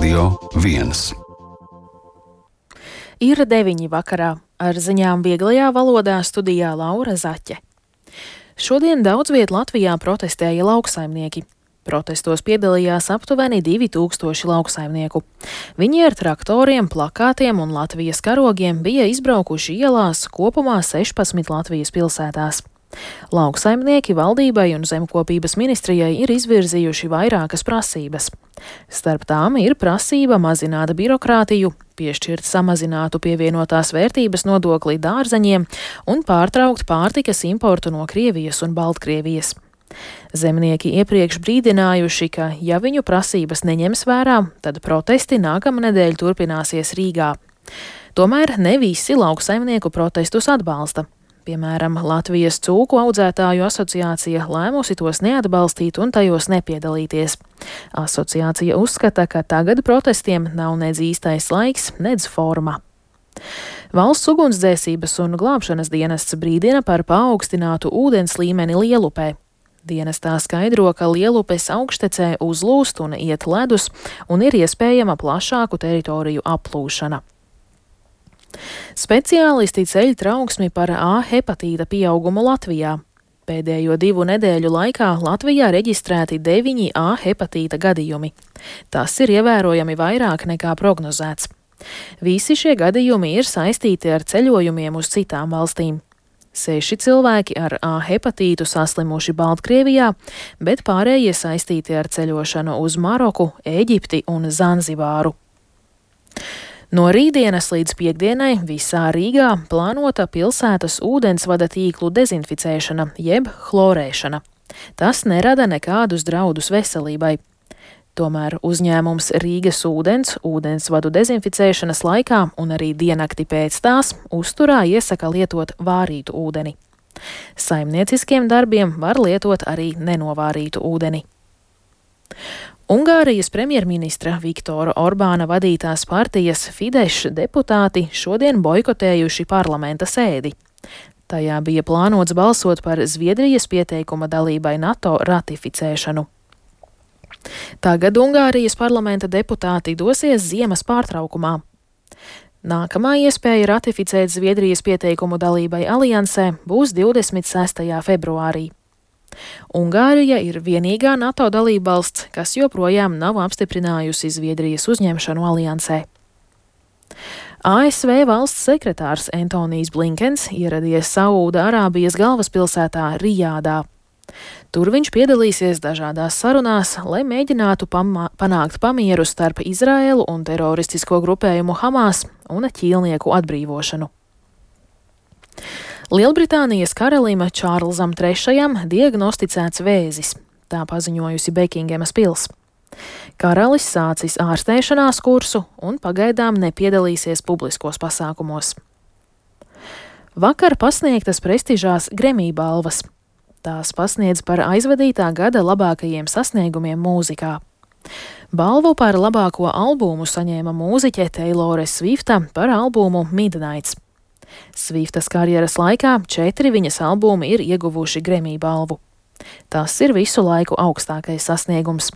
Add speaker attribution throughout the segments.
Speaker 1: Radio 1.
Speaker 2: Ir 9 vakarā. Ar ziņām vieglajā valodā studijā Laura Zaķe. Šodien daudz viet Latvijā protestēja lauksaimnieki. Protestos piedalījās aptuveni 2000 lauksaimnieku. Viņi ar traktoriem, plakātiem un Latvijas karogiem bija izbraukuši ielās kopumā 16 Latvijas pilsētās. Lauksaimnieki valdībai un zemkopības ministrijai ir izvirzījuši vairākas prasības. Starp tām ir prasība mazināt birokrātiju, piešķirt samazinātu pievienotās vērtības nodokli dārzeņiem un pārtraukt pārtikas importu no Krievijas un Baltkrievijas. Zemnieki iepriekš brīdinājuši, ka ja viņu prasības neņems vērā, tad protesti nākamnedēļ turpināsies Rīgā. Tomēr ne visi lauksaimnieku protestus atbalsta. Piemēram, Latvijas cūku audzētāju asociācija lēmusi tos neatbalstīt un tajos nepiedalīties. Asociācija uzskata, ka tagad protestiem nav nedz īstais laiks, nedz forma. Valsts ugunsdzēsības un glābšanas dienests brīdina par paaugstinātu ūdens līmeni Lielupē. Dienestā skaidro, ka Lielupes augštecē uzlūst un iet ledus un ir iespējama plašāku teritoriju aplūšana. Speciālisti ceļ trauksmi par A hepatīta pieaugumu Latvijā. Pēdējo 2 nedēļu laikā Latvijā reģistrēti 9 A hepatīta gadījumi. Tas ir ievērojami vairāk nekā prognozēts. Visi šie gadījumi ir saistīti ar ceļojumiem uz citām valstīm. 6 cilvēki ar A hepatītu saslimuši Baltkrievijā, bet pārējie saistīti ar ceļošanu uz Maroku, Ēģipti un Zanzibāru. No rītdienas līdz piektdienai visā Rīgā plānota pilsētas ūdensvada tīklu dezinficēšana jeb chlorēšana. Tas nerada nekādus draudus veselībai. Tomēr uzņēmums Rīgas ūdens ūdensvadu dezinficēšanas laikā un arī diennakti pēc tās uzturā iesaka lietot vārītu ūdeni. Saimnieciskiem darbiem var lietot arī nenovārītu ūdeni. Ungārijas premjerministra Viktora Orbāna vadītās partijas Fidesz deputāti šodien boikotējuši parlamenta sēdi. Tajā bija plānots balsot par Zviedrijas pieteikuma dalībai NATO ratificēšanu. Tagad Ungārijas parlamenta deputāti dosies ziemas pārtraukumā. Nākamā iespēja ratificēt Zviedrijas pieteikumu dalībai aliansē būs 26. februārī. Ungārija ir vienīgā NATO dalībvalsts, kas joprojām nav apstiprinājusi Zviedrijas uzņemšanu aliansē. ASV valsts sekretārs Antonijs Blinkens ieradies Saūda-Arābijas galvaspilsētā Rijādā. Tur viņš piedalīsies dažādās sarunās, lai mēģinātu panākt pamieru starp Izraēlu un teroristisko grupējumu Hamas un ķīlnieku atbrīvošanu. Lielbritānijas karalim Čārlzam III diagnosticēts vēzis, tā paziņojusi Bekingemas pils. Karalis sācis ārstēšanās kursu un pagaidām nepiedalīsies publiskos pasākumos. Vakar pasniegtas prestižās Grammy balvas. Tās pasniedz par aizvadītā gada labākajiem sasniegumiem mūzikā. Balvu par labāko albumu saņēma mūziķe Teilore Svifta par albumu Midnights. Sviftas karjeras laikā 4 viņas albumi ir ieguvuši Grammy balvu. Tas ir visu laiku augstākais sasniegums.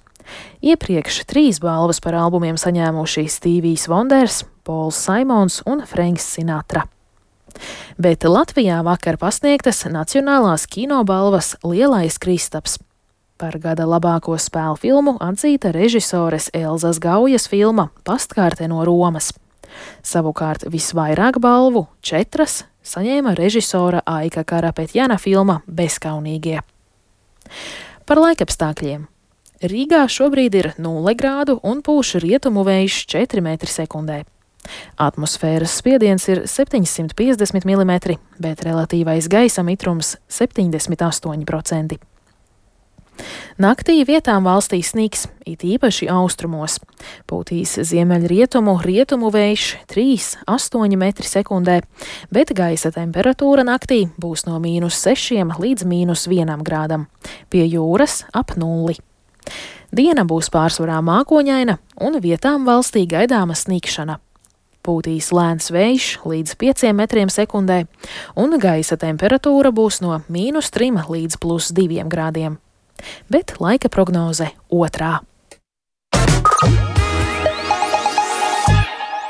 Speaker 2: Iepriekš 3 balvas par albumiem saņēmuši Stevijs Vonders, Pols Saimons un Frenks Sinatra. Bet Latvijā vakar pasniegtas Nacionālās kinobalvas Lielais Kristaps. Par gada labāko spēļu filmu atzīta režisores Elzas Gaujas filma Pastkārte no Romas. Savukārt visvairāk balvu 4 saņēma režisora Aika Karapetjana filma Bezkaunīgie. Par laikapstākļiem. Rīgā šobrīd ir 0 grādu un pūš rietumu vējš 4 m/sekundē. Atmosfēras spiediens ir 750 mm, bet relatīvais gaisa mitrums 78%. Naktī vietām valstī sniks, it īpaši austrumos. Pūtīs ziemeļrietumu vējš 3–8 m/sekundē, bet gaisa temperatūra naktī būs no -6 līdz -1 grādam, pie jūras ap 0. Diena būs pārsvarā mākoņaina un vietām valstī gaidāma snikšana. Pūtīs lēns vējš līdz 5 m/sekundē, un gaisa temperatūra būs no -3 līdz +2 grādiem. Bet laika prognoze otrā.